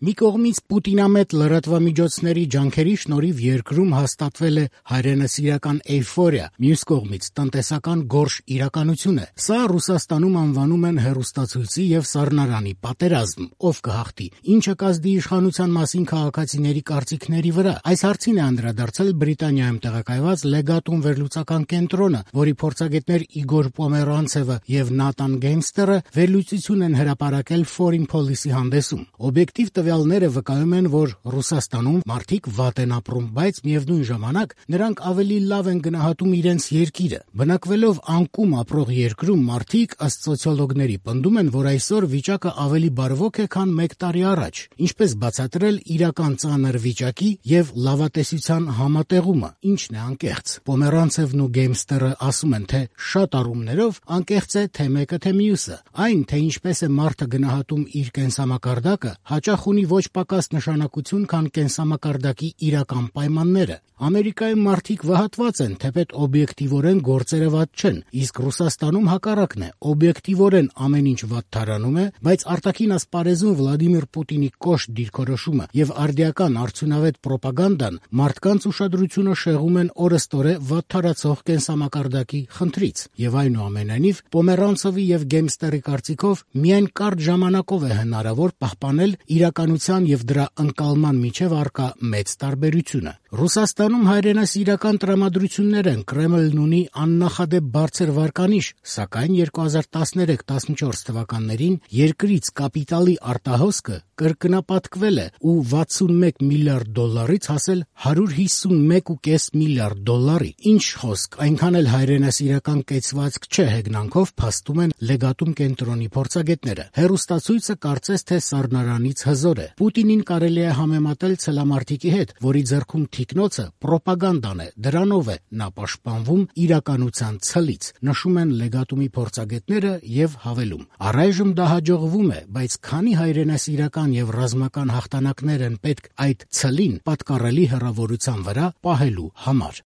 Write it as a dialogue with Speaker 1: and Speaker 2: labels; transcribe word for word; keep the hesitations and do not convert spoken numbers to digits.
Speaker 1: Մի կողմից պուտինամետ լրատվամիջոցների ջանքերի շնորհիվ երկրում հաստատվել է հայրենասիրական էյֆորիա, մյուս կողմից տնտեսական գորշ իրականություն է։ Սա Ռուսաստանում անվանում են հեռուստացույցի եւ սառնարանի պատերազմ, ով կհաղթի, ինչը կազդի իշխանության մասին քաղաքացիների կարծիքների վրա։ Այս հարցին է անդրադարձել Բրիտանիայում տեղակայված Լեգատուն վերլուծական կենտրոնը, որի փորձագետներ Իգոր Պոմերանցևը եւ Նատան Գեյմստերը վերլուծություն են հրապարակել Foreign Policy հանդեսում։ Օբյեկտիվ տվյալները վկայում են, որ Ռուսաստանում մարդիկ վատ են ապրում, բայց միևնույն ժամանակ նրանք ավելի լավ են գնահատում իրենց երկիրը։ Բնակվելով անկում ապրող երկրում մարդիկ, ըստ սոցիոլոգների, պնդում են, որ այսօր վիճակը ավելի բարվոք է, քան մեկ տարի առաջ, ինչպես բացատրել իրական ծանր վիճակի եւ լավատեսության համատեղումը, ինչն է անկեղծ։ Պոմերանցևն ու Գեյմստերը ասում են, թե շատ առումներով անկեղծ է թե մեկը, թե մյուսը։ Այն, թե ինչպես է մարդը գնահատում իր կենսամակարդակը, հաճախ ունի ոչ պակաս նշանակություն, քան կենսամակարդակի իրական պայմանները։ Ամերիկայում մարդիկ վհատված են, թեպետ օբյեկտիվորեն գործերը վատ չեն, իսկ Ռուսաստանում հակառակն է, օբյեկտիվորեն ամեն ինչ վատթարանում է, բայց արտաքին ասպարեզում Վլադիմիր Պուտինի կոշտ դիրքորոշումը եւ արդիական արդյունավետ պրոպագանդան մարդկանց ուշադրությունը շեղում են օրըստօրե վատթարացող կենսամակարդակի խնդրից։ Եվ այնուամենայնիվ Պոմերանցովի եւ Գեյմստերի կարծիքով միայն կարճ ժամանակով է հնարավոր պահպանել իրականության եւ դրա ընկալման միջև առկա մեծ տարբերությունը։ Ռուսաստանում հայրենասիրական տրամադրություններ են, Կրեմլն ունի աննախադեպ բարձր վարկանիշ, սակայն երկու հազար տասներեք տասնչորս թվականներին երկրից կապիտալի արտահոսքը կրկնապատկվել է ու վաթսունմեկ միլիարդ դոլարից հասել հարյուր հիսունմեկ կόμμα պենս միլիարդ դոլարի։ Ինչ խոսք, այնքան էլ հայրենասիրական կեցվածք չէ հեգնանքով, փաստում են Լեգատում կենտրոնի փորձագետները։ Հեռուստացույցը կարծես թե սառնարանից հզոր է։ Պուտինին կարելի է համեմատել ցելամարտիկի հետ, որի ձեռքում թիկնոցը պրոպագանդան է, դրանով է նա պաշտպանվում իրականության ցլից, նշում են Լեգատումի փորձագետները եւ հավելում. Առայժմ դա հաջողվում է, բայց քանի հայրենասիրական եւ ռազմական հաղթանակներ են պետք այդ ցլին պատկառելի հեռավորության վրա պահելու համար։